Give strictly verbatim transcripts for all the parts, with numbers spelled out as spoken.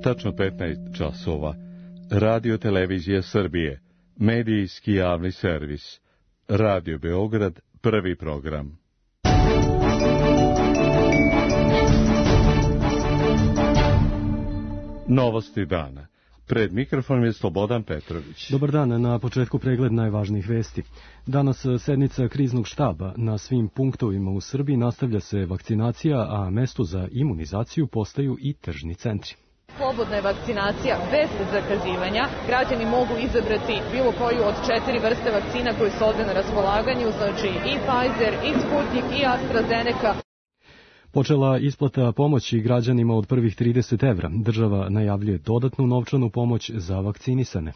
Tačno petnaest časova. Radio Televizija Srbije. Medijski javni servis. Radio Beograd, prvi program. Novosti dana. Pred mikrofonom je Slobodan Petrović. Dobar dan, na početku pregled najvažnijih vesti. Danas sednica kriznog štaba. Na svim punktovima u Srbiji nastavlja se vakcinacija, a mesto za imunizaciju postaju i tržni centri. Slobodna je vakcinacija bez zakazivanja. Građani mogu izabrati bilo koju od četiri vrste vakcina koje su ovde na raspolaganju, znači i Pfizer, i Sputnik, i AstraZeneca. Počela isplata pomoći građanima od prvih trideset evra. Država najavljuje dodatnu novčanu pomoć za vakcinisane.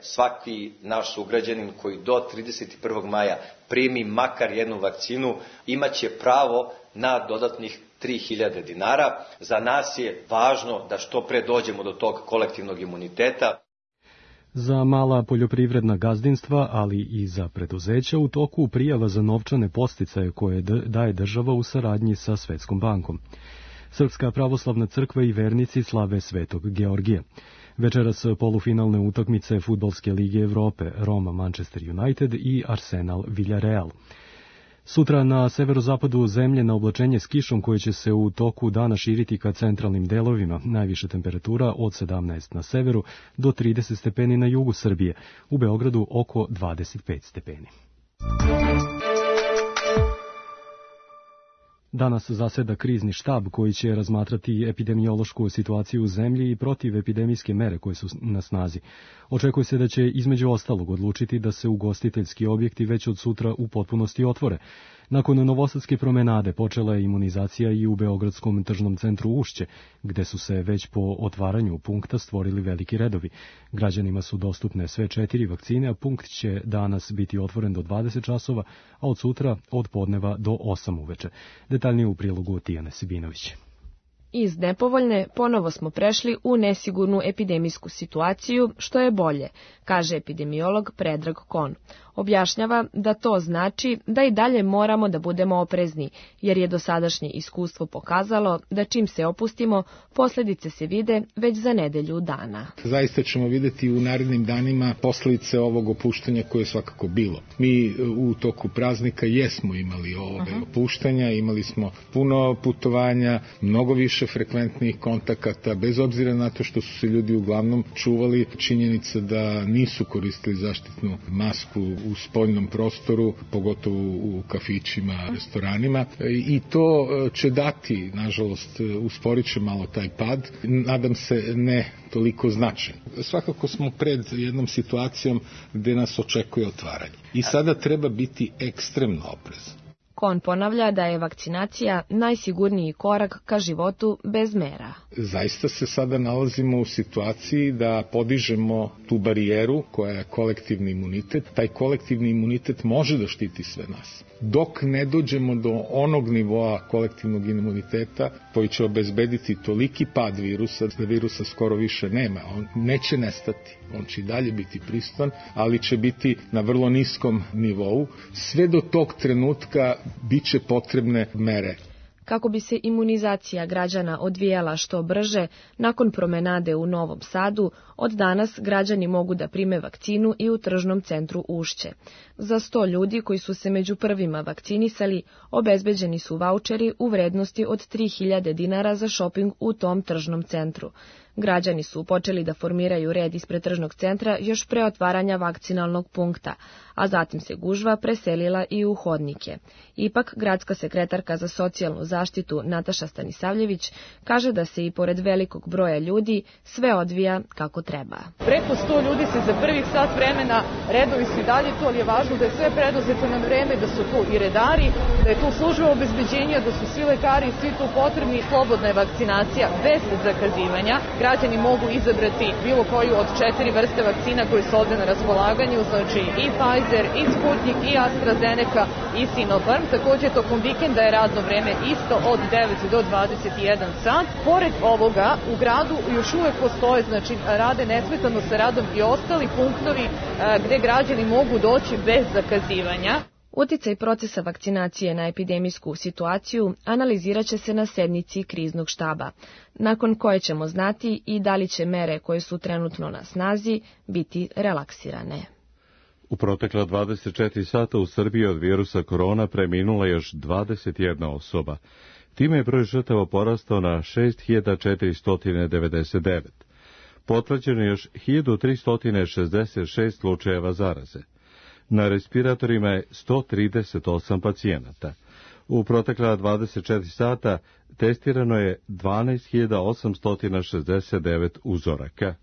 Svaki naš sugrađanin koji do trideset prvog maja primi makar jednu vakcinu imaće pravo na dodatnih tri hiljade dinara. Za nas je važno da što pre dođemo do tog kolektivnog imuniteta. Za mala poljoprivredna gazdinstva, ali i za preduzeća u toku prijava za novčane podsticaje koje daje država u saradnji sa Svetskom bankom. Srpska pravoslavna crkva i vernici slave Svetog Georgija. Večeras polufinalne utakmice Fudbalske lige Evrope, Roma Manchester United i Arsenal Villarreal. Sutra na severozapadu zemlje na oblačenje s kišom koje će se u toku dana širiti ka centralnim delovima. Najviša temperatura od sedamnaest na severu do trideset stepeni na jugu Srbije. U Beogradu oko dvadeset pet stepeni. Danas zaseda krizni štab koji će razmatrati epidemiološku situaciju u zemlji i protivepidemijske mere koje su na snazi. Očekuje se da će između ostalog odlučiti da se ugostiteljski objekti već od sutra u potpunosti otvore. Nakon novosadske promenade počela je imunizacija i u Beogradskom tržnom centru Ušće, gde su se već po otvaranju punkta stvorili veliki redovi. Građanima su dostupne sve četiri vakcine, a punkt će danas biti otvoren do dvadeset časova, a od sutra od podneva do osam uveče. Detaljnije u prilogu Tijane Sibinović. Iz nepovoljne ponovo smo prešli u nesigurnu epidemijsku situaciju, što je bolje, kaže epidemiolog Predrag Kon. Objašnjava da to znači da i dalje moramo da budemo oprezni, jer je dosadašnje iskustvo pokazalo da čim se opustimo, posljedice se vide već za nedelju dana. Zaista ćemo vidjeti u narednim danima posljedice ovog opuštanja koje je svakako bilo. Mi u toku praznika jesmo imali ove Aha. opuštanja, imali smo puno putovanja, mnogo više frekventnih kontakata, bez obzira na to što su se ljudi uglavnom čuvali. Činjenica da nisu koristili zaštitnu masku u spoljnom prostoru, pogotovo u kafićima, restoranima, i to će dati, nažalost, usporit će malo taj pad, nadam se ne toliko značajan. Svakako smo pred jednom situacijom gde nas očekuje otvaranje. I sada treba biti ekstremno oprezan. Kon ponavlja da je vakcinacija najsigurniji korak ka životu bez mera. Zaista se sada nalazimo u situaciji da podižemo tu barijeru koja je kolektivni imunitet. Taj kolektivni imunitet može da štiti sve nas. Dok ne dođemo do onog nivoa kolektivnog imuniteta koji će obezbediti toliki pad virusa, da virusa skoro više nema. On neće nestati, on će i dalje biti prisutan, ali će biti na vrlo niskom nivou. Sve do tog trenutka bit će potrebne mere. Kako bi se imunizacija građana odvijala što brže, nakon promenade u Novom Sadu, od danas građani mogu da prime vakcinu i u tržnom centru Ušće. Za sto ljudi koji su se među prvima vakcinisali, obezbeđeni su vaučeri u vrednosti od tri hiljade dinara za šoping u tom tržnom centru. Građani su počeli da formiraju red ispred tržnog centra još pre otvaranja vakcinalnog punkta, a zatim se gužva preselila i u hodnike. Ipak, gradska sekretarka za socijalnu zaštitu Nataša Stanisavljević kaže da se i pored velikog broja ljudi sve odvija kako treba. Preko sto ljudi se za prvih sat vremena, redovi su i dalje tu, ali je važno da je sve preduzeto na vreme, da su tu i redari, da je tu služba obezbeđenja, da su svi lekari i svi tu potrebni. Slobodna je vakcinacija bez zakazivanja. Građani mogu izabrati bilo koju od četiri vrste vakcina koje su ovde na raspolaganju, znači i Pfizer, i Sputnik, i AstraZeneca, i Sinopharm. Takođe, tokom vikenda je radno vreme isto od devet do dvadeset jedan sat. Pored ovoga, u gradu još uvek postoje, znači rade nesmetano sa radom i ostali punktovi gde građani mogu doći bez zakazivanja. Uticaj procesa vakcinacije na epidemijsku situaciju analizirat će se na sednici kriznog štaba, nakon koje ćemo znati i da li će mere koje su trenutno na snazi biti relaksirane. U protekla dvadeset četiri sata u Srbiji od virusa korona preminula još dvadeset jedna osoba. Time je broj žrtava porastao na šest hiljada četiristo devedeset devet. Potvrđeno je još hiljadu tristo šezdeset šest slučajeva zaraze. Na respiratorima je sto trideset osam pacijenata. U protekla dvadeset četiri sata testirano je dvanaest hiljada osamsto šezdeset devet uzoraka.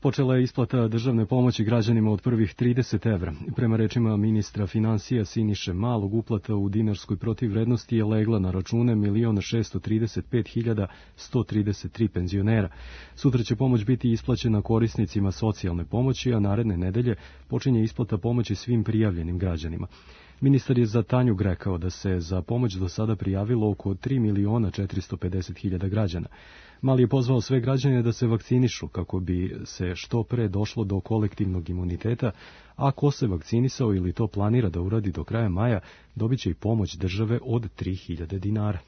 Počela je isplata državne pomoći građanima od prvih trideset evra. Prema rečima ministra finansija Siniše Malog, uplata u dinarskoj protivvrednosti je legla na račune milion šesto trideset pet hiljada sto trideset tri penzionera. Sutra će pomoć biti isplaćena korisnicima socijalne pomoći, a naredne nedelje počinje isplata pomoći svim prijavljenim građanima. Ministar je za Tanjug rekao da se za pomoć do sada prijavilo oko tri miliona četiristo pedeset hiljada građana. Mali je pozvao sve građane da se vakcinišu kako bi se što pre došlo do kolektivnog imuniteta, a ko se vakcinisao ili to planira da uradi do kraja maja, dobit će i pomoć države od tri hiljade dinara.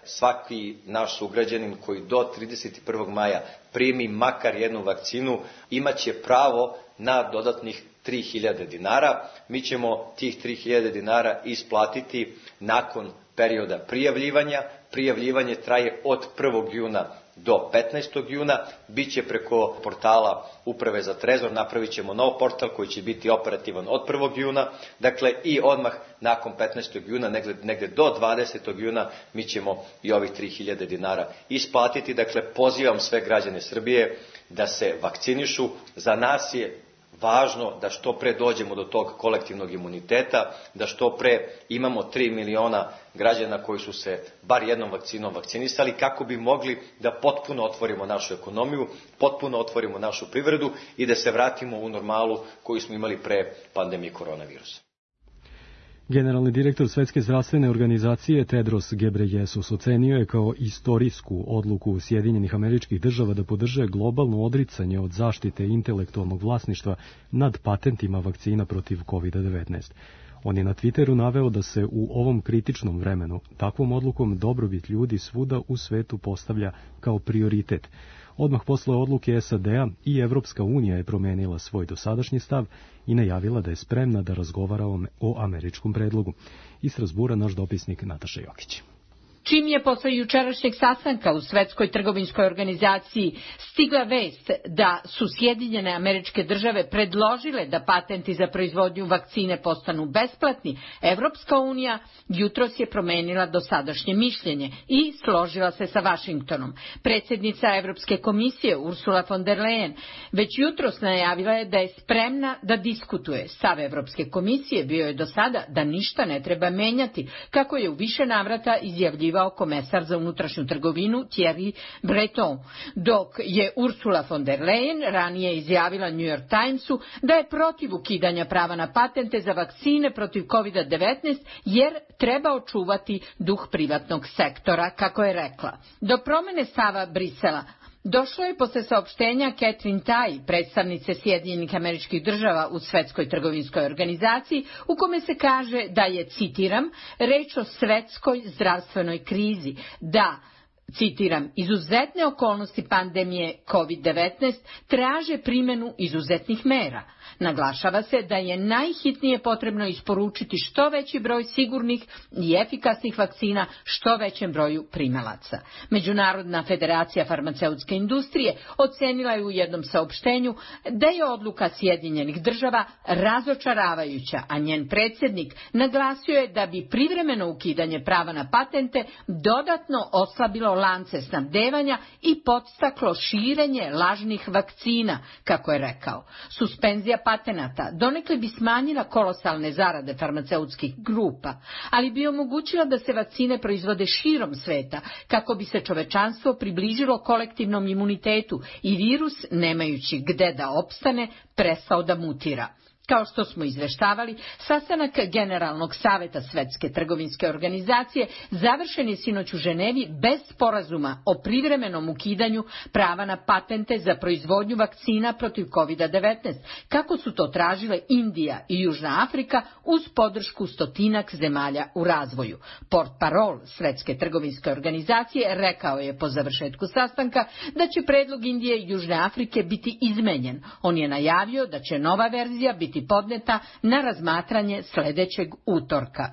Svaki naš sugrađanin koji do trideset prvog maja primi makar jednu vakcinu imaće pravo na dodatnih tri hiljade dinara. Mi ćemo tih tri hiljade dinara isplatiti nakon perioda prijavljivanja. Prijavljivanje traje od prvog juna do petnaestog juna. Biće preko portala Uprave za trezor, napravit ćemo nov portal koji će biti operativan od prvog juna. Dakle, i odmah nakon petnaestog juna, negde, negde do dvadesetog juna, mi ćemo i ovih tri hiljade dinara isplatiti. Dakle, pozivam sve građane Srbije da se vakcinišu. Za nas je važno da što pre dođemo do tog kolektivnog imuniteta, da što pre imamo tri miliona građana koji su se bar jednom vakcinom vakcinisali, kako bi mogli da potpuno otvorimo našu ekonomiju, potpuno otvorimo našu privredu i da se vratimo u normalu koju smo imali pre pandemije koronavirusa. Generalni direktor Svetske zdravstvene organizacije Tedros Gebreyesus ocenio je kao istorijsku odluku Sjedinjenih Američkih Država da podrže globalno odricanje od zaštite intelektualnog vlasništva nad patentima vakcina protiv kovid devetnaest. On je na Twitteru naveo da se u ovom kritičnom vremenu takvom odlukom dobrobit ljudi svuda u svetu postavlja kao prioritet. Odmah posle odluke S A D-a i Evropska unija je promenila svoj dosadašnji stav i najavila da je spremna da razgovara o američkom predlogu. Iz Strasbura naš dopisnik Nataša Jokić. Čim je posle jučerašnjeg sastanka u Svetskoj trgovinskoj organizaciji stigla vest da su Sjedinjene Američke Države predložile da patenti za proizvodnju vakcine postanu besplatni, Evropska unija jutros je promenila dosadašnje mišljenje i složila se sa Vašingtonom. Predsjednica Evropske komisije Ursula von der Leyen već jutros najavila je da je spremna da diskutuje. Stav Evropske komisije bio je do sada da ništa ne treba menjati, kako je u više navrata izjavljivao komesar za unutrašnju trgovinu Thierry Breton, dok je Ursula von der Leyen ranije izjavila New York Timesu da je protiv ukidanja prava na patente za vakcine protiv kovid devetnaest jer treba očuvati duh privatnog sektora, kako je rekla. Do promene stava Brisela došlo je posle saopštenja Catherine Tai, predstavnice Sjedinjenih Američkih Država u Svetskoj trgovinskoj organizaciji, u kome se kaže da je, citiram, reč o svetskoj zdravstvenoj krizi, da, citiram, izuzetne okolnosti pandemije kovid devetnaest traže primjenu izuzetnih mera. Naglašava se da je najhitnije potrebno isporučiti što veći broj sigurnih i efikasnih vakcina što većem broju primalaca. Međunarodna federacija farmaceutske industrije ocenila je u jednom saopštenju da je odluka Sjedinjenih Država razočaravajuća, a njen predsjednik naglasio je da bi privremeno ukidanje prava na patente dodatno oslabilo lance snabdevanja i podstaklo širenje lažnih vakcina, kako je rekao. Suspenzija patenata donekle bi smanjila kolosalne zarade farmaceutskih grupa, ali bi omogućila da se vakcine proizvode širom sveta, kako bi se čovečanstvo približilo kolektivnom imunitetu i virus, nemajući gde da opstane, prestao da mutira. Kao što smo izveštavali, sastanak Generalnog saveta Svetske trgovinske organizacije završen je sinoć u Ženevi bez sporazuma o privremenom ukidanju prava na patente za proizvodnju vakcina protiv kovid devetnaest, kako su to tražile Indija i Južna Afrika uz podršku stotinak zemalja u razvoju. Portparol Svetske trgovinske organizacije rekao je po završetku sastanka da će predlog Indije i Južne Afrike biti izmenjen. On je najavio da će nova verzija biti podneta na razmatranje sledećeg utorka.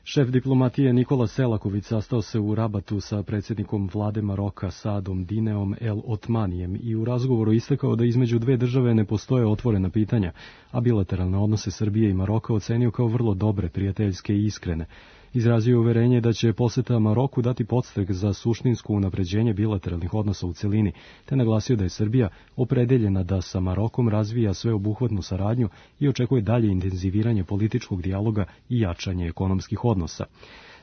Šef diplomatije Nikola Selaković sastao se u Rabatu sa predsjednikom vlade Maroka Saadom Dineom El Otmanijem i u razgovoru istakao da između dve države ne postoje otvorena pitanja, a bilateralne odnose Srbije i Maroka ocenio kao vrlo dobre, prijateljske i iskrene. Izrazio je uverenje da će poseta Maroku dati podstrek za suštinsko unapređenje bilateralnih odnosa u celini, te naglasio da je Srbija opredeljena da sa Marokom razvija sveobuhvatnu saradnju i očekuje dalje intenziviranje političkog dijaloga i jačanje ekonomskih odnosa.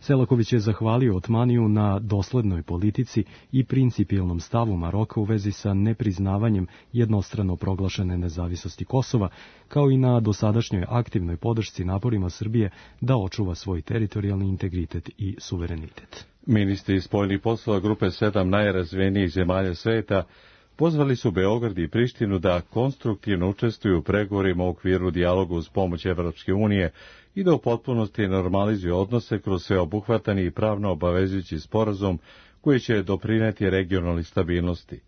Selaković je zahvalio Otmaniju na doslednoj politici i principijelnom stavu Maroka u vezi sa nepriznavanjem jednostrano proglašene nezavisnosti Kosova, kao i na dosadašnjoj aktivnoj podršci naporima Srbije da očuva svoj teritorijalni integritet i suverenitet. Ministri spoljnih poslova grupe sedam najrazvijenijih zemalja sveta pozvali su Beograd i Prištinu da konstruktivno učestvuju u pregovorima u okviru dijaloga uz pomoć Evropske unije i da u potpunosti normalizuju odnose kroz sveobuhvatan i pravno obavezujući sporazum koji će doprineti regionalnoj stabilnosti.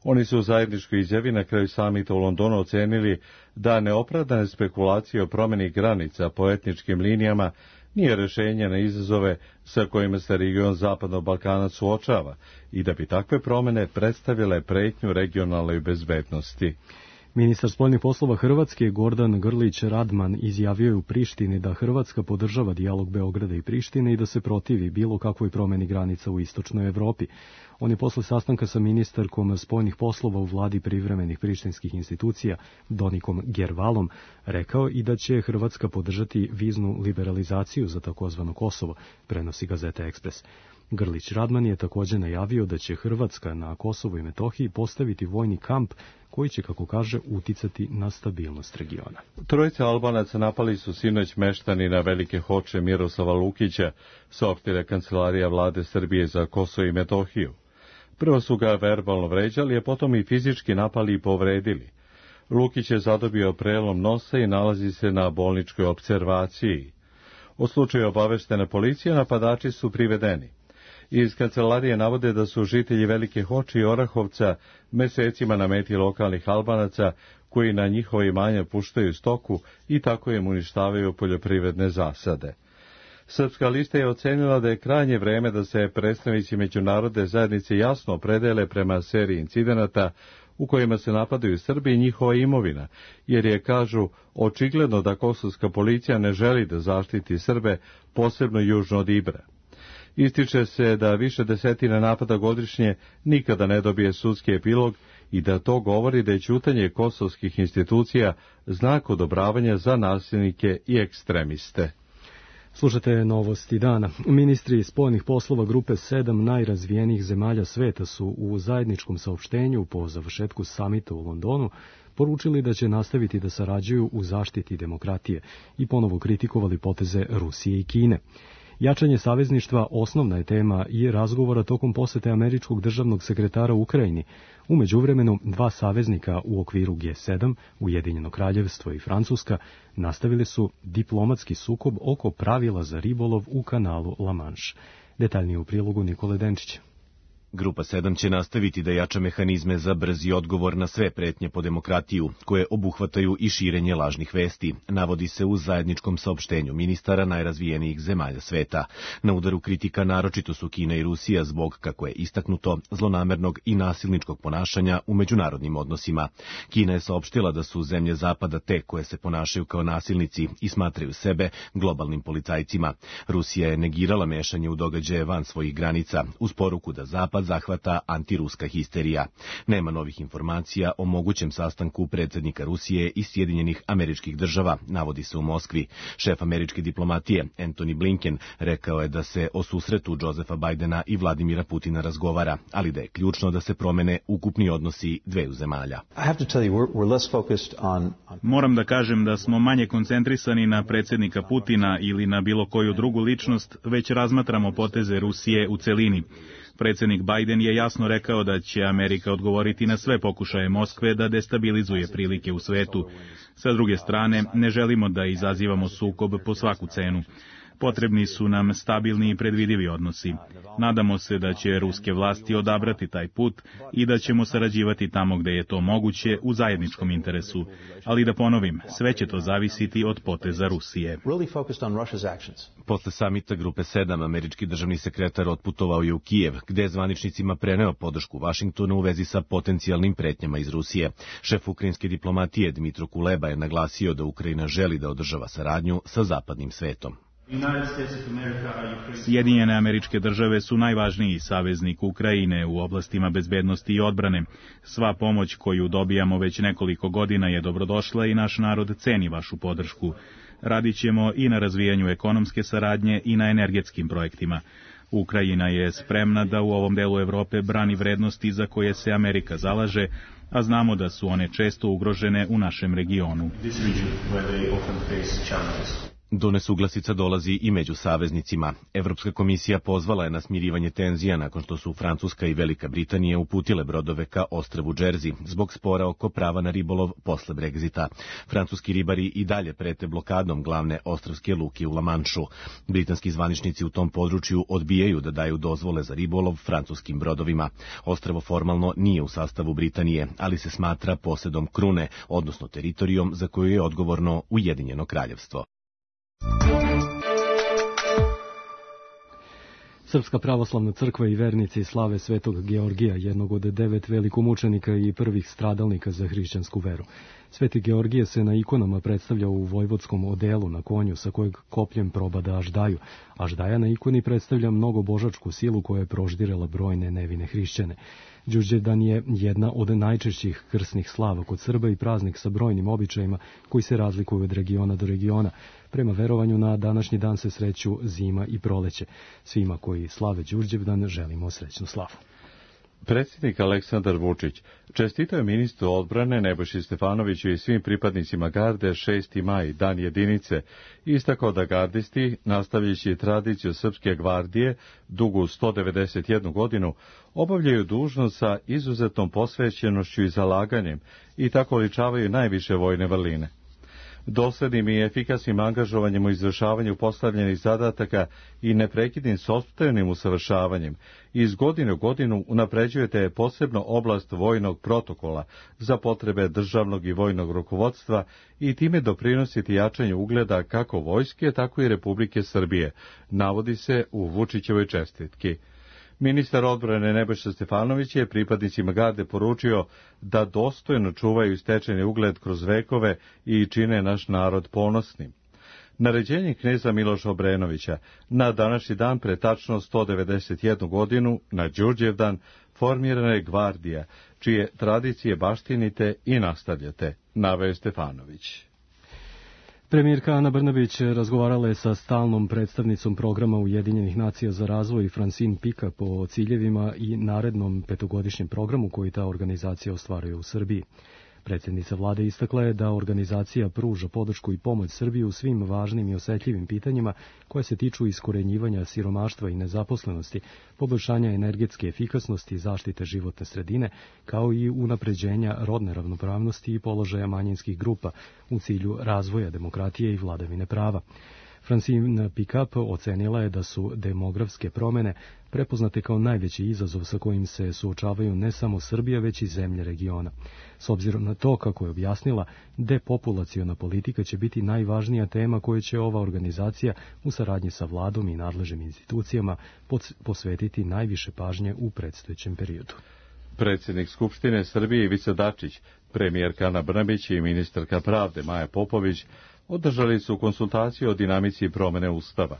Oni su u zajedničkoj izjavi na kraju samita u Londonu ocenili da neopravdane spekulacije o promjeni granica po etničkim linijama nije rješenje na izazove sa kojima se region Zapadnog Balkana suočava i da bi takve promjene predstavile pretnju regionalnoj bezbednosti. Ministar spoljnih poslova Hrvatske Gordan Grlić Radman izjavio je u Prištini da Hrvatska podržava dijalog Beograda i Prištine i da se protivi bilo kakvoj promjeni granica u istočnoj Evropi. On je posle sastanka sa ministarkom spoljnih poslova u vladi privremenih prištinskih institucija Donikom Gervalom rekao i da će Hrvatska podržati viznu liberalizaciju za takozvano Kosovo, prenosi gazeta Ekspres. Grlić Radman je također najavio da će Hrvatska na Kosovu i Metohiji postaviti vojni kamp koji će, kako kaže, uticati na stabilnost regiona. Trojica Albanaca napali su sinoć meštani na Velike Hoče Miroslava Lukića, saopštila kancelarija vlade Srbije za Kosovo i Metohiju. Prvo su ga verbalno vređali, a potom i fizički napali i povredili. Lukić je zadobio prelom nosa i nalazi se na bolničkoj opservaciji. O slučaju obaveštena policija, napadači su privedeni. Iz kancelarije navode da su žitelji Velike Hoče i Orahovca mesecima na meti lokalnih Albanaca koji na njihova imanja puštaju stoku i tako im uništavaju poljoprivredne zasade. Srpska lista je ocenila da je krajnje vreme da se predstavnici međunarodne zajednice jasno opredele prema seriji incidenata u kojima se napadaju Srbi i njihova imovina, jer je, kažu, očigledno da kosovska policija ne želi da zaštiti Srbe, posebno južno od Ibra. Ističe se da više desetina napada godišnje nikada ne dobije sudski epilog i da to govori da je ćutanje kosovskih institucija znak odobravanja za nasilnike i ekstremiste. Slušate novosti dana. Ministri spoljnih poslova grupe sedam najrazvijenijih zemalja sveta su u zajedničkom saopštenju po završetku samita u Londonu poručili da će nastaviti da sarađuju u zaštiti demokratije i ponovo kritikovali poteze Rusije i Kine. Jačanje savezništva osnovna je tema i razgovora tokom posete američkog državnog sekretara u Ukrajini. U međuvremenu, dva saveznika u okviru G sedam, Ujedinjeno kraljevstvo i Francuska, nastavili su diplomatski sukob oko pravila za ribolov u kanalu La Manche. Detaljnije u prilogu Nikole Denčića. Grupa sedam će nastaviti da jača mehanizme za brzi odgovor na sve pretnje po demokratiju, koje obuhvataju i širenje lažnih vesti, navodi se u zajedničkom saopštenju ministara najrazvijenijih zemalja sveta. Na udaru kritika naročito su Kina i Rusija zbog, kako je istaknuto, zlonamernog i nasilničkog ponašanja u međunarodnim odnosima. Kina je saopštila da su zemlje Zapada te koje se ponašaju kao nasilnici i smatraju sebe globalnim policajcima. Rusija je negirala mešanje u događaje van svojih granica, uz poruku da Zapad pa zahvata antiruska histerija. Nema novih informacija o mogućem sastanku predsjednika Rusije i Sjedinjenih Američkih Država, navodi se u Moskvi. Šef američke diplomatije, Antony Blinken, rekao je da se o susretu Josefa Bajdena i Vladimira Putina razgovara, ali da je ključno da se promene ukupni odnosi dveju zemalja. Moram da kažem da smo manje koncentrisani na predsjednika Putina ili na bilo koju drugu ličnost, već razmatramo poteze Rusije u celini. Predsjednik Bajden je jasno rekao da će Amerika odgovoriti na sve pokušaje Moskve da destabilizuje prilike u svetu. Sa druge strane, ne želimo da izazivamo sukob po svaku cenu. Potrebni su nam stabilni i predvidivi odnosi. Nadamo se da će ruske vlasti odabrati taj put i da ćemo sarađivati tamo gde je to moguće u zajedničkom interesu. Ali da ponovim, sve će to zavisiti od poteza Rusije. Posle samita Grupe sedam, američki državni sekretar otputovao je u Kijev, gde je zvaničnicima preneo podršku Vašingtonu u vezi sa potencijalnim pretnjama iz Rusije. Šef ukrajinske diplomatije Dmitro Kuleba je naglasio da Ukrajina želi da održava saradnju sa zapadnim svetom. Sjedinjene Američke Države su najvažniji saveznik Ukrajine u oblastima bezbednosti i odbrane. Sva pomoć koju dobijamo već nekoliko godina je dobrodošla i naš narod ceni vašu podršku. Radit ćemo i na razvijanju ekonomske saradnje i na energetskim projektima. Ukrajina je spremna da u ovom delu Evrope brani vrednosti za koje se Amerika zalaže, a znamo da su one često ugrožene u našem regionu. Do nesuglasica dolazi i među saveznicima. Evropska komisija pozvala je na smirivanje tenzija nakon što su Francuska i Velika Britanija uputile brodove ka ostrvu Džerzi zbog spora oko prava na ribolov posle Brexita. Francuski ribari i dalje prete blokadom glavne ostrvske luke u Lamanšu. Britanski zvaničnici u tom području odbijaju da daju dozvole za ribolov francuskim brodovima. Ostrvo formalno nije u sastavu Britanije, ali se smatra posedom krune, odnosno teritorijom za koju je odgovorno Ujedinjeno kraljevstvo. Srpska pravoslavna crkva i vernici slave Svetog Georgija, jednog od devet velikomučenika i prvih stradalnika za hrišćansku veru. Sveti Georgije se na ikonama predstavlja u vojvodskom odelu na konju sa kojeg kopljem probada Aždaju. Aždaja na ikoni predstavlja mnogobožačku silu koja je proždirela brojne nevine hrišćane. Đurđevdan je jedna od najčešćih krsnih slava kod Srba i praznik sa brojnim običajima koji se razlikuju od regiona do regiona. Prema verovanju na današnji dan se sreću zima i proleće. Svima koji slave Đurđevdan želimo srećnu slavu. Predsjednik Aleksandar Vučić čestitao je ministru odbrane Nebojši Stefanoviću i svim pripadnicima garde šesti maj, dan jedinice, istakao da gardisti, nastavljajući tradiciju Srpske gvardije, dugu sto devedeset jednu godinu, obavljaju dužnost sa izuzetnom posvećenošću i zalaganjem i tako ličavaju najviše vojne vrline. Doslednim i efikasnim angažovanjem u izvršavanju postavljenih zadataka i neprekidnim sopstvenim usavršavanjem, iz godine u godinu unapređujete posebno oblast vojnog protokola za potrebe državnog i vojnog rukovodstva i time doprinositi jačanju ugleda kako vojske, tako i Republike Srbije, navodi se u Vučićevoj čestitki. Ministar odbrane Nebojša Stefanović je pripadnicima garde poručio da dostojno čuvaju stečeni ugled kroz vekove i čine naš narod ponosnim. Naređenjem kneza Miloša Obrenovića na današnji dan pre tačno sto devedeset jednu godinu, na Đurđevdan, formirana je gvardija, čije tradicije baštinite i nastavljate, naveo Stefanović. Premijerka Ana Brnabić razgovarala je sa stalnom predstavnicom programa Ujedinjenih nacija za razvoj Francine Pickup o ciljevima i narednom petogodišnjem programu koji ta organizacija ostvaruje u Srbiji. Predsjednica vlade istakla je da organizacija pruža podršku i pomoć Srbiji u svim važnim i osetljivim pitanjima koje se tiču iskorenjivanja siromaštva i nezaposlenosti, poboljšanja energetske efikasnosti i zaštite životne sredine, kao i unapređenja rodne ravnopravnosti i položaja manjinskih grupa u cilju razvoja demokratije i vladavine prava. Francine Pickup ocenila je da su demografske promene prepoznate kao najveći izazov sa kojim se suočavaju ne samo Srbija, već i zemlje regiona. S obzirom na to, kako je objasnila, depopulaciona politika će biti najvažnija tema koju će ova organizacija u saradnji sa vladom i nadležnim institucijama posvetiti najviše pažnje u predstojećem periodu. Predsjednik Skupštine Srbije Ivica Dačić, premijerka Ana Brnabić i ministarka pravde Maja Popović održali su konsultaciju o dinamici promene Ustava.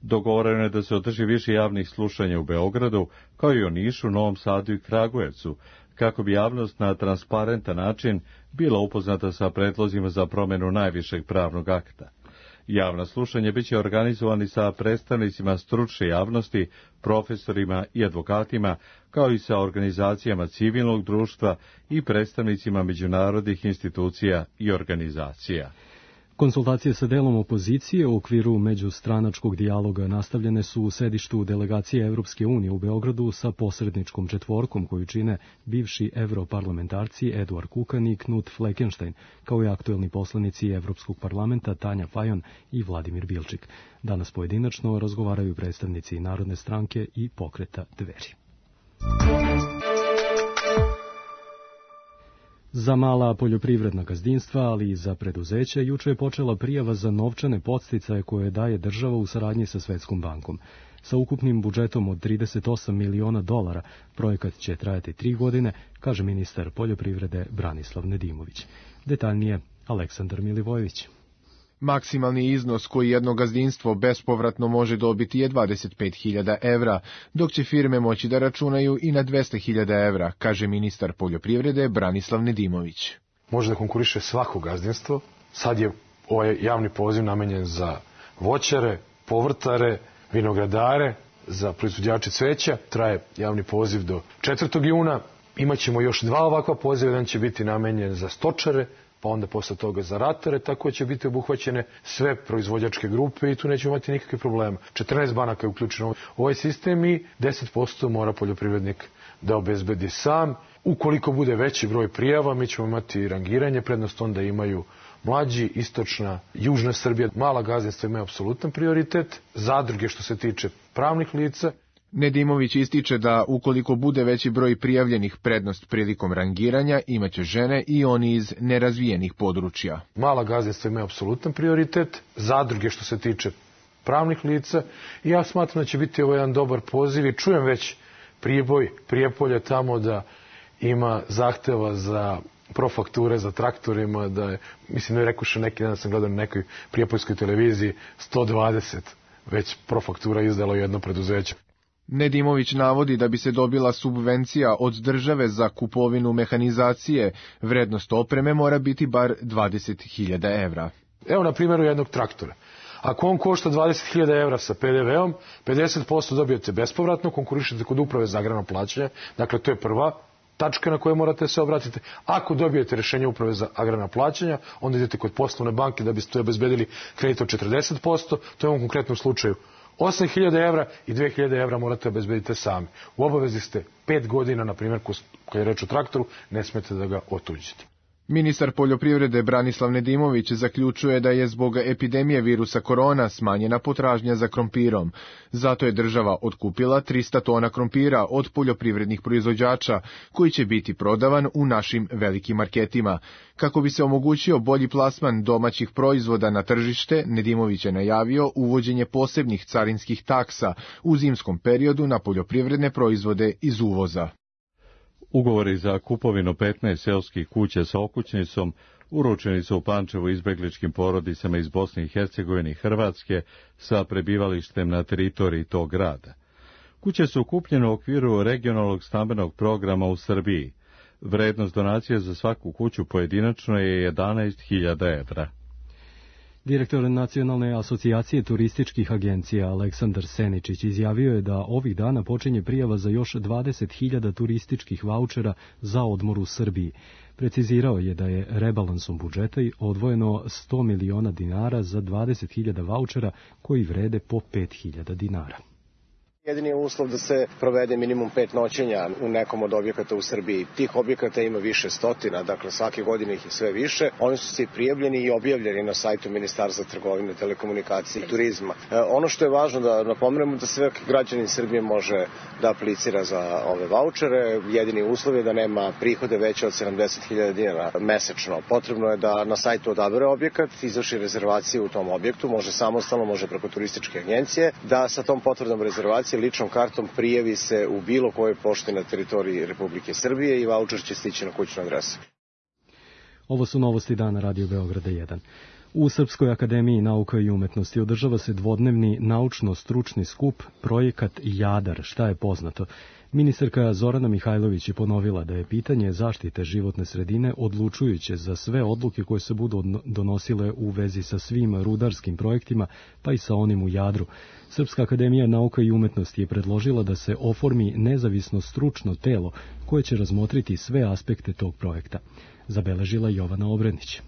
Dogovoreno je da se održi više javnih slušanja u Beogradu, kao i u Nišu, Novom Sadu i Kragujevcu, kako bi javnost na transparentan način bila upoznata sa predlozima za promjenu najvišeg pravnog akta. Javna slušanja biće organizovani sa predstavnicima stručne javnosti, profesorima i advokatima, kao i sa organizacijama civilnog društva i predstavnicima međunarodnih institucija i organizacija. Konsultacije sa delom opozicije u okviru međustranačkog dijaloga nastavljene su u sedištu delegacije Evropske unije u Beogradu sa posredničkom četvorkom koju čine bivši evroparlamentarci Eduard Kukan i Knut Fleckenstein, kao i aktuelni poslanici Evropskog parlamenta Tanja Fajon i Vladimir Bilčik. Danas pojedinačno razgovaraju predstavnici Narodne stranke i Pokreta Dveri. Za mala poljoprivredna gazdinstva, ali i za preduzeća, juče je počela prijava za novčane podsticaje koje daje država u saradnji sa Svetskom bankom. Sa ukupnim budžetom od trideset osam miliona dolara, projekat će trajati tri godine, kaže ministar poljoprivrede Branislav Nedimović. Detaljnije, Aleksandar Milivojević. Maksimalni iznos koji jedno gazdinstvo bespovratno može dobiti je dvadeset pet hiljada evra, dok će firme moći da računaju i na dvesta hiljada evra, kaže ministar poljoprivrede Branislav Nedimović. Može da konkuriše svako gazdinstvo. Sad je ovaj javni poziv namenjen za voćare, povrtare, vinogradare, za proizvođače cveća. Traje javni poziv do četvrtog juna. Imaćemo još dva ovakva poziva, jedan će biti namenjen za stočare, pa onda posle toga za ratare, tako će biti obuhvaćene sve proizvođačke grupe i tu nećemo imati nikakve problema. četrnaest banaka je uključeno u ovaj sistem i deset posto mora poljoprivrednik da obezbedi sam. Ukoliko bude veći broj prijava, mi ćemo imati rangiranje, prednost onda imaju mlađi, istočna, južna Srbija. Mala gazdinstva imaju apsolutan prioritet, zadruge što se tiče pravnih lica. Nedimović ističe da ukoliko bude veći broj prijavljenih, prednost prilikom rangiranja imaće žene i oni iz nerazvijenih područja. Mala gazdinstva imaju apsolutan prioritet, zadruge što se tiče pravnih lica i ja smatram da će biti ovo jedan dobar poziv i čujem već Priboj, Prijepolje tamo da ima zahteva za profakture za traktorima, da je, mislim da je rekuše neki dan sam gledao na nekoj prijepoljskoj televiziji, sto dvadeset već profaktura izdalo jedno preduzeće. Nedimović navodi da bi se dobila subvencija od države za kupovinu mehanizacije, vrednost opreme mora biti bar dvadeset hiljada evra. Evo na primjeru jednog traktora. Ako on košta dvadeset hiljada evra sa pe de veom, pedeset posto dobijete bespovratno, konkurišete kod uprave za agrarno plaćanje, dakle to je prva tačka na koju morate se obratiti. Ako dobijete rješenje uprave za agrarna plaćanja, onda idete kod poslovne banke da biste obezbedili kredit od četrdeset posto, to je u ovom konkretnom slučaju osam hiljada evra i dve hiljade evra morate obezbediti sami. U obavezi ste pet godina, na primjer, kad je reč o traktoru, ne smete da ga otuđite. Ministar poljoprivrede Branislav Nedimović zaključuje da je zbog epidemije virusa korona smanjena potražnja za krompirom. Zato je država otkupila trista tona krompira od poljoprivrednih proizvođača, koji će biti prodavan u našim velikim marketima. Kako bi se omogućio bolji plasman domaćih proizvoda na tržište, Nedimović je najavio uvođenje posebnih carinskih taksa u zimskom periodu na poljoprivredne proizvode iz uvoza. Ugovori za kupovinu petnaest seoskih kuća sa okućnicom uručeni su u Pančevu izbegličkim porodicama iz Bosne i Hercegovine i Hrvatske sa prebivalištem na teritoriji tog grada. Kuće su kupljene u okviru regionalnog stambenog programa u Srbiji. Vrednost donacije za svaku kuću pojedinačno je jedanaest hiljada evra. Direktor Nacionalne asocijacije turističkih agencija Aleksandar Seničić izjavio je da ovih dana počinje prijava za još dvadeset hiljada turističkih vaučera za odmor u Srbiji. Precizirao je da je rebalansom budžeta odvojeno sto miliona dinara za dvadeset hiljada vaučera koji vrede po pet hiljada dinara. Jedini je uslov da se provede minimum pet noćenja u nekom od objekata u Srbiji. Tih objekata ima više stotina, dakle svake godine ih je sve više. Oni su se i prijavljeni i objavljeni na sajtu Ministarstva trgovine, telekomunikacije i turizma. E, ono što je važno da napomenemo da svaki građanin Srbije može da aplicira za ove vaučere. Jedini uslov je da nema prihode veće od sedamdeset hiljada dinara mesečno. Potrebno je da na sajtu odabere objekat, izvrši rezervaciju u tom objektu, može samostalno, može preko turističke agencije, da sa tom potvrdom rezervacije ličnom kartom prijavi se u bilo kojoj pošti na teritoriji Republike Srbije i vaučer će stići na kućnu adresu. Ovo su novosti dana Radio Beograda jedan. U Srpskoj akademiji nauka i umetnosti održava se dvodnevni naučno-stručni skup Projekat Jadar, šta je poznato. Ministarka Zorana Mihajlović je ponovila da je pitanje zaštite životne sredine odlučujuće za sve odluke koje se budu donosile u vezi sa svim rudarskim projektima, pa i sa onim u Jadru. Srpska akademija nauka i umetnosti je predložila da se oformi nezavisno stručno telo koje će razmotriti sve aspekte tog projekta. Zabeležila Jovana Obrenić.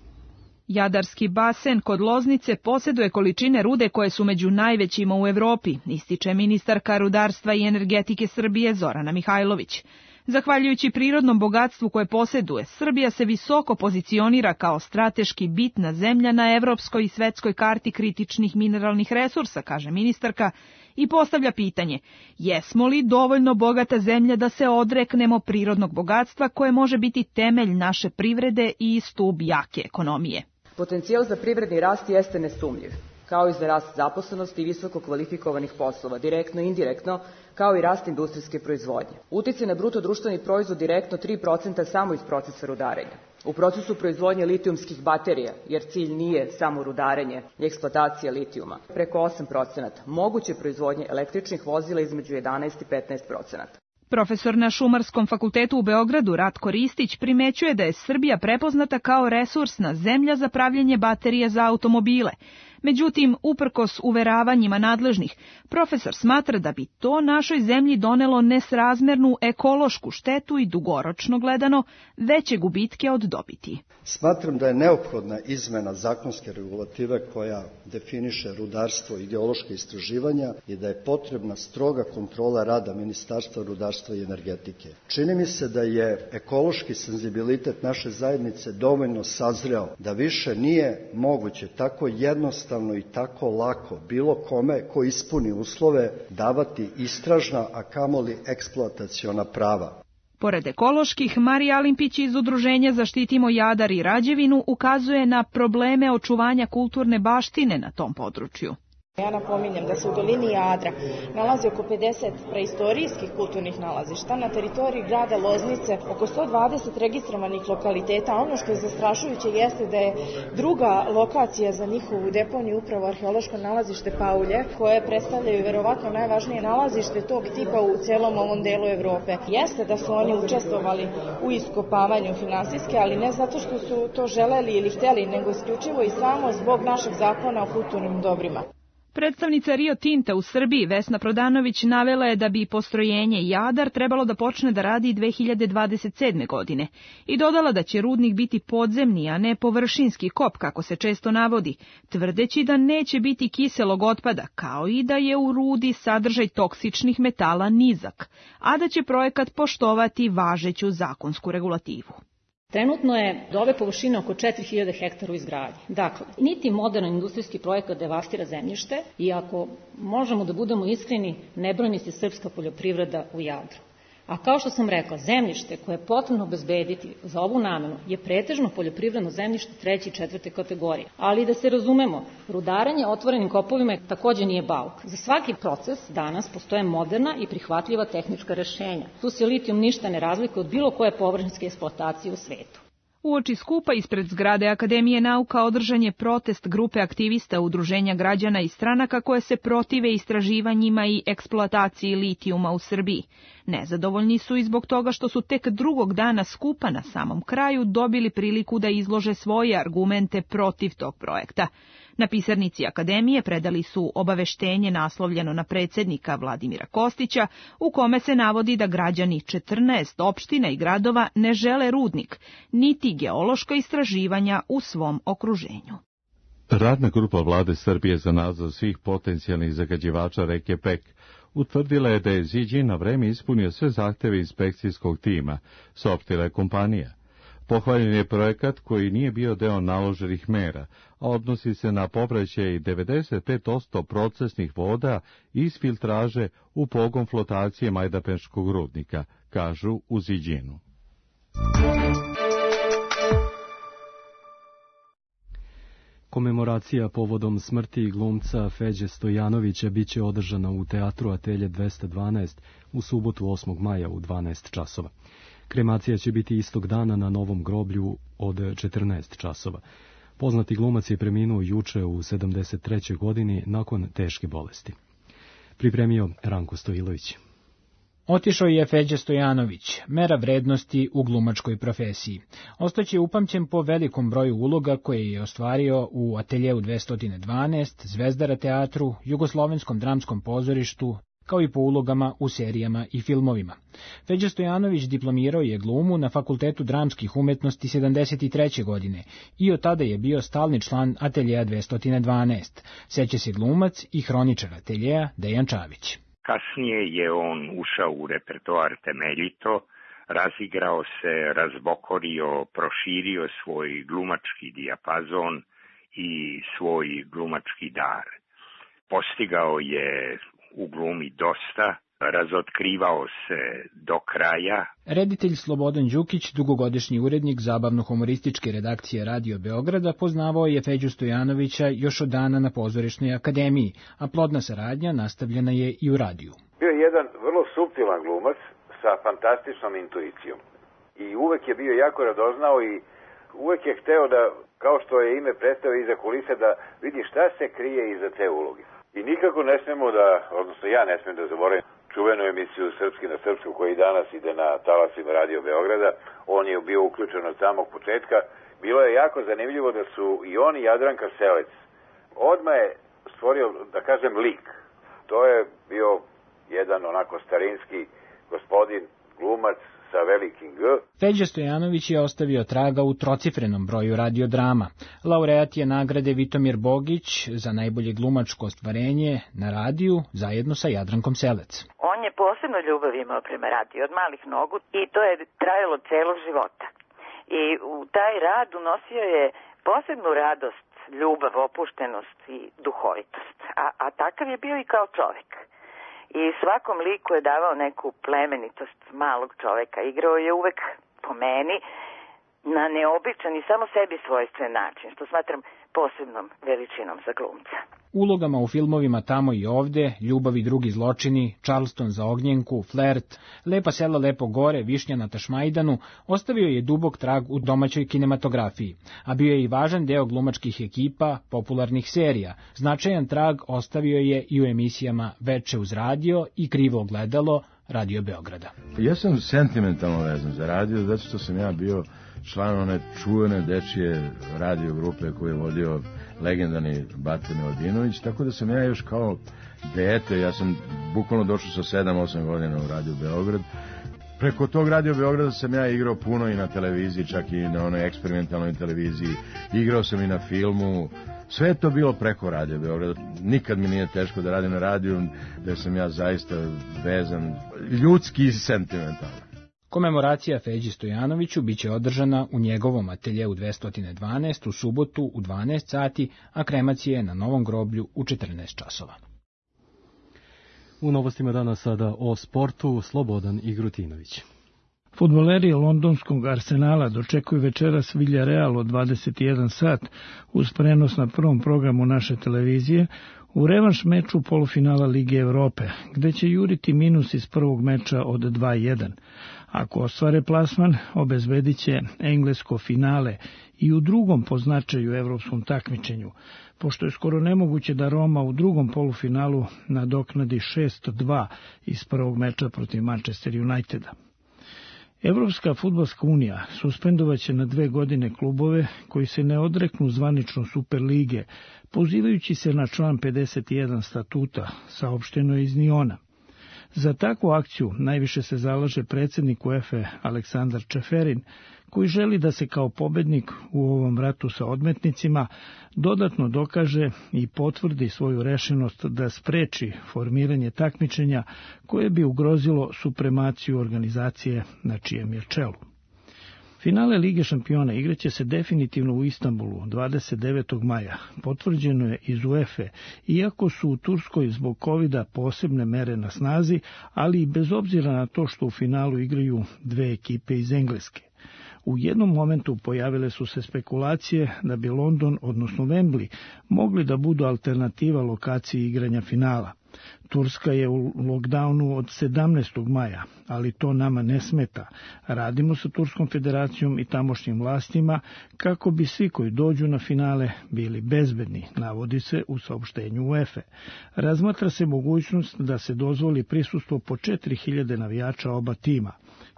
Jadarski basen kod Loznice posjeduje količine rude koje su među najvećima u Evropi, ističe ministarka rudarstva i energetike Srbije Zorana Mihajlović. Zahvaljujući prirodnom bogatstvu koje posjeduje, Srbija se visoko pozicionira kao strateški bitna zemlja na evropskoj i svetskoj karti kritičnih mineralnih resursa, kaže ministarka, i postavlja pitanje: jesmo li dovoljno bogata zemlja da se odreknemo prirodnog bogatstva koje može biti temelj naše privrede i stub jake ekonomije? Potencijal za privredni rast jeste nesumnjiv, kao i za rast zaposlenosti i visoko kvalifikovanih poslova, direktno i indirektno, kao i rast industrijske proizvodnje. Uticaj na bruto društveni proizvod direktno tri procenta samo iz procesa rudarenja. U procesu proizvodnje litijumskih baterija, jer cilj nije samo rudarenje i eksploatacija litijuma, preko osam procenata, moguće proizvodnje električnih vozila između jedanaest i petnaest procenata. Profesor na Šumarskom fakultetu u Beogradu Ratko Ristić primećuje da je Srbija prepoznata kao resursna zemlja za pravljenje baterija za automobile. Međutim, uprkos uveravanjima nadležnih, profesor smatra da bi to našoj zemlji donelo nesrazmernu ekološku štetu i dugoročno gledano veće gubitke od dobiti. Smatram da je neophodna izmena zakonske regulative koja definiše rudarstvo i geološke istraživanja i da je potrebna stroga kontrola rada Ministarstva rudarstva i energetike. Čini mi se da je ekološki senzibilitet naše zajednice dovoljno sazreo da više nije moguće tako jednostavno i tako lako bilo kome ko ispuni uslove davati istražna, a kamoli eksploataciona prava. Pored ekoloških, Marija Alimpić iz Udruženja Zaštitimo Jadar i Rađevinu ukazuje na probleme očuvanja kulturne baštine na tom području. Ja napominjem da se u dolini Jadra nalazi oko pedeset preistorijskih kulturnih nalazišta, na teritoriji grada Loznice oko sto dvadeset registrovanih lokaliteta. Ono što je zastrašujuće jeste da je druga lokacija za njihovu deponiju upravo arheološko nalazište Paulje, koje predstavljaju verovatno najvažnije nalazište tog tipa u celom ovom delu Evrope. Jeste da su oni učestvovali u iskopavanju finansijske, ali ne zato što su to želeli ili hteli, nego isključivo i samo zbog našeg zakona o kulturnim dobrima. Predstavnica Rio Tinta u Srbiji Vesna Prodanović navela je da bi postrojenje Jadar trebalo da počne da radi dve hiljade dvadeset sedme. godine i dodala da će rudnik biti podzemni, a ne površinski kop, kako se često navodi, tvrdeći da neće biti kiselog otpada, kao i da je u rudi sadržaj toksičnih metala nizak, a da će projekat poštovati važeću zakonsku regulativu. Trenutno je do ove površine oko četiri hiljade hektara u izgradnji. Dakle, niti moderan industrijski projekat devastira zemljište i ako možemo da budemo iskreni, ne brani se srpska poljoprivreda u Jadru. A kao što sam rekla, zemljište koje je potrebno obezbediti za ovu namenu je pretežno poljoprivredno zemljište treće i četvrte kategorije. Ali da se razumemo, rudarenje otvorenim kopovima takođe nije bauk. Za svaki proces danas postoje moderna i prihvatljiva tehnička rešenja. Tu se litijum ništa ne razlikuje od bilo koje površinske eksploatacije u svetu. Uoči skupa ispred zgrade Akademije nauka održan je protest grupe aktivista Udruženja građana i stranaka koje se protive istraživanjima i eksploataciji litijuma u Srbiji. Nezadovoljni su i zbog toga što su tek drugog dana skupa na samom kraju dobili priliku da izlože svoje argumente protiv tog projekta. Na pisarnici Akademije predali su obaveštenje naslovljeno na predsjednika Vladimira Kostića, u kome se navodi da građani četrnaest opština i gradova ne žele rudnik, niti geološka istraživanja u svom okruženju. Radna grupa Vlade Srbije za nadzor svih potencijalnih zagađivača reke Pek utvrdila je da je Ziđin na vreme ispunio sve zahteve inspekcijskog tima, saopštila je kompanija. Pohvaljen je projekat koji nije bio deo naloženih mera, a odnosi se na povraćaj devedeset pet posto procesnih voda iz filtraže u pogon flotacije Majdanpeškog rudnika, kažu u Ziđinu. Komemoracija povodom smrti glumca Feđe Stojanovića biće održana u Teatru Atelje dvesta dvanaest u subotu osmog maja u dvanaest časova. Kremacija će biti istog dana na Novom groblju od četrnaest časova. Poznati glumac je preminuo juče u sedamdeset trećoj godini nakon teške bolesti. Pripremio Ranko Stojilović. Otišao je Feđa Stojanović, mera vrednosti u glumačkoj profesiji. Ostaće upamćen po velikom broju uloga koje je ostvario u Ateljeu dvesta dvanaest, Zvezdara teatru, Jugoslovenskom dramskom pozorištu, kao i po ulogama u serijama i filmovima. Feđa Stojanović diplomirao je glumu na Fakultetu dramskih umetnosti sedamdeset treće godine i od tada je bio stalni član Ateljeja dvesta dvanaest. Seća se glumac i hroničar Ateljeja Dejan Čavić. Kasnije je on ušao u repertoar temeljito, razigrao se, razbokorio, proširio svoj glumački dijapazon i svoj glumački dar. Postigao je u glumi dosta, razotkrivao se do kraja. Reditelj Slobodan Đukić, dugogodišnji urednik zabavno-humorističke redakcije Radio Beograda, poznavao je Feđu Stojanovića još od dana na Pozorišnoj akademiji, a plodna saradnja nastavljena je i u radiju. Bio je jedan vrlo suptilan glumac sa fantastičnom intuicijom i uvek je bio jako radoznao i uvek je hteo da, kao što je ime predstavio iza kulise, da vidi šta se krije iza te uloge. I nikako ne smemo da, odnosno ja ne smem da zaboravim čuvenu emisiju Srpski na srpsku koji danas ide na talasima Radio Beograda. On je bio uključen od samog početka. Bilo je jako zanimljivo da su i on i Jadranka Selec odmah je stvorio, da kažem, lik. To je bio jedan onako starinski gospodin, glumac sa velikim G. Feđa Stojanović je ostavio traga u trocifrenom broju radiodrama. Laureat je nagrade Vitomir Bogić za najbolje glumačko ostvarenje na radiju zajedno sa Jadrankom Selec. On je posebno ljubav imao prema radiju od malih nogu i to je trajalo celog života. I u taj rad unosio je posebnu radost, ljubav, opuštenost i duhovitost. A, a takav je bio i kao čovek. I svakom liku je davao neku plemenitost malog čoveka. Igrao je uvek, po meni, na neobičan i samo sebi svojstven način, što smatram posebnom veličinom za glumca. Ulogama u filmovima Tamo i ovde, Ljubav i drugi zločini, Charleston za ognjenku, Flert, Lepa sela lepo gore, Višnja na Tašmajdanu, ostavio je dubok trag u domaćoj kinematografiji, a bio je i važan deo glumačkih ekipa, popularnih serija. Značajan trag ostavio je i u emisijama Veče uz radio i Krivo ogledalo Radio Beograda. Ja sam sentimentalno vezan za radio, zato što sam ja bio član one čuvene dečije radio grupe koju je vodio legendarni Bata Miladinović, tako da sam ja još kao dete, ja sam bukvalno došao sa sedam osam godina u Radio Beograd. Preko tog Radio Beograda sam ja igrao puno i na televiziji, čak i na onoj eksperimentalnoj televiziji, igrao sam i na filmu, sve je to bilo preko Radio Beograda. Nikad mi nije teško da radim na radiju, da sam ja zaista vezan, ljudski i sentimentalno. Komemoracija Feđi Stojanoviću biće održana u njegovom ateljeu dvesta dvanaest u subotu u dvanaest sati, a kremacija je na Novom groblju u četrnaest časova. U novostima danas sada o sportu Slobodan Igrutinović. Fudbaleri londonskog Arsenala dočekuju večeras Villarreal od dvadeset jedan sat uz prenos na prvom programu naše televizije u revanš meču polufinala Lige Evrope, gde će juriti minus iz prvog meča od dva jedan. Ako ostvare plasman, obezbedit će englesko finale i u drugom po značaju evropskom takmičenju, pošto je skoro nemoguće da Roma u drugom polufinalu nadoknadi šest dva iz prvog meča protiv Manchester Uniteda. Evropska fudbalska unija suspendovaće na dve godine klubove koji se ne odreknu zvanično Superlige, pozivajući se na član pedeset jedan statuta, saopšteno je iz Niona. Za takvu akciju najviše se zalaže predsjednik UEFA Aleksandar Čeferin, koji želi da se kao pobednik u ovom ratu sa odmetnicima dodatno dokaže i potvrdi svoju rešenost da spreči formiranje takmičenja koje bi ugrozilo supremaciju organizacije na čijem je čelu. Finale Lige šampiona igraće se definitivno u Istanbulu dvadeset devetog maja. Potvrđeno je iz UEFA, iako su u Turskoj zbog kovida posebne mere na snazi, ali i bez obzira na to što u finalu igraju dve ekipe iz Engleske. U jednom momentu pojavile su se spekulacije da bi London, odnosno Wembley, mogli da budu alternativa lokaciji igranja finala. Turska je u lockdownu od sedamnaestog maja, ali to nama ne smeta. Radimo sa Turskom federacijom i tamošnjim vlastima kako bi svi koji dođu na finale bili bezbedni, navodi se u saopštenju UEFA. Razmatra se mogućnost da se dozvoli prisustvo po četiri hiljade navijača oba tima.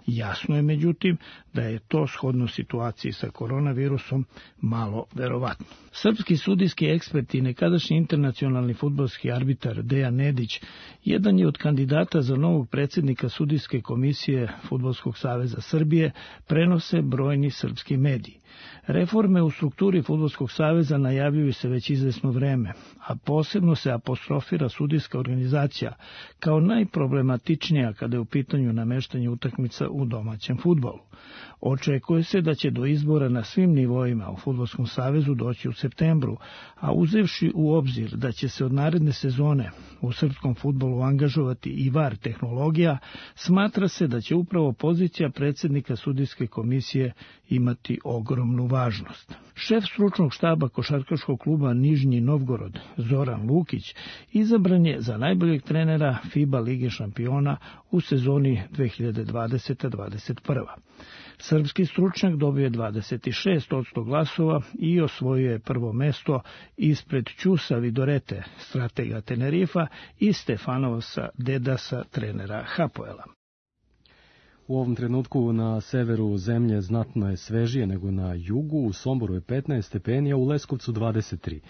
Jasno je, međutim, da je to shodno situaciji sa koronavirusom malo verovatno. Srpski sudijski ekspert i nekadašnji internacionalni fudbalski arbitar Dejan Nedić jedan je od kandidata za novog predsjednika sudijske komisije Fudbalskog saveza Srbije, prenose brojni srpski mediji. Reforme u strukturi Fudbalskog saveza najavljuju se već izvesno vreme, a posebno se apostrofira sudijska organizacija kao najproblematičnija kada je u pitanju nameštanje utakmica u domaćem fudbalu. Očekuje se da će do izbora na svim nivoima u Fudbalskom savezu doći u septembru, a uzevši u obzir da će se od naredne sezone u srpskom fudbalu angažovati i V A R tehnologija, smatra se da će upravo pozicija predsjednika sudijske komisije imati ogromnu važnost. Šef stručnog štaba košarkaškog kluba Nižnji Novgorod, Zoran Lukić, izabran je za najboljeg trenera FIBA Lige šampiona u sezoni dve hiljade dvadesete dvadeset prva. Srpski stručnjak dobio je dvadeset šest posto glasova i osvojio je prvo mesto ispred Ćusa Vidorete, stratega Tenerifa, i Stefanovsa Dedasa, trenera Hapoela. U ovom trenutku na severu zemlje znatno je svežije nego na jugu, u Somboru je petnaest stepeni, a u Leskovcu dvadeset tri.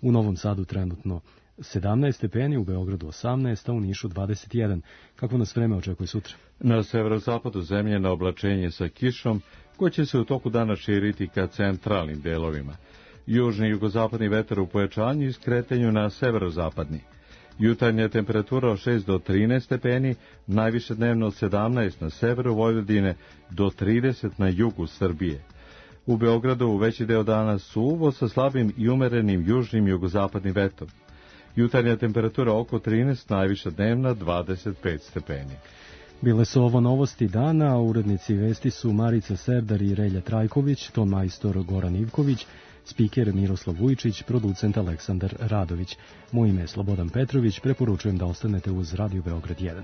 U Novom Sadu trenutno sedamnaest stepeni, u Beogradu osamnaest, a u Nišu dvadeset jedan. Kako nas vreme očekuje sutra? Na severozapadu zemlje na oblačenje sa kišom, koje će se u toku dana širiti ka centralnim delovima. Južni i jugozapadni vetar u pojačanju i skretanju na severozapadni. Jutarnja temperatura od šest do trinaest stepeni, najviše dnevno od sedamnaest na severu Vojvodine do trideset na jugu Srbije. U Beogradu u veći deo dana suvo sa slabim i umerenim južnim i jugozapadnim vetrom. Jutarnja temperatura oko trinaest, najviša dnevna dvadeset pet stepeni. Bile su ovo novosti dana, urednici vesti su Marica Serdar i Relja Trajković, ton majstor Goran Ivković, spiker Miroslav Vujčić, producent Aleksandar Radović. Moje ime je Slobodan Petrović, preporučujem da ostanete uz Radio Beograd jedan.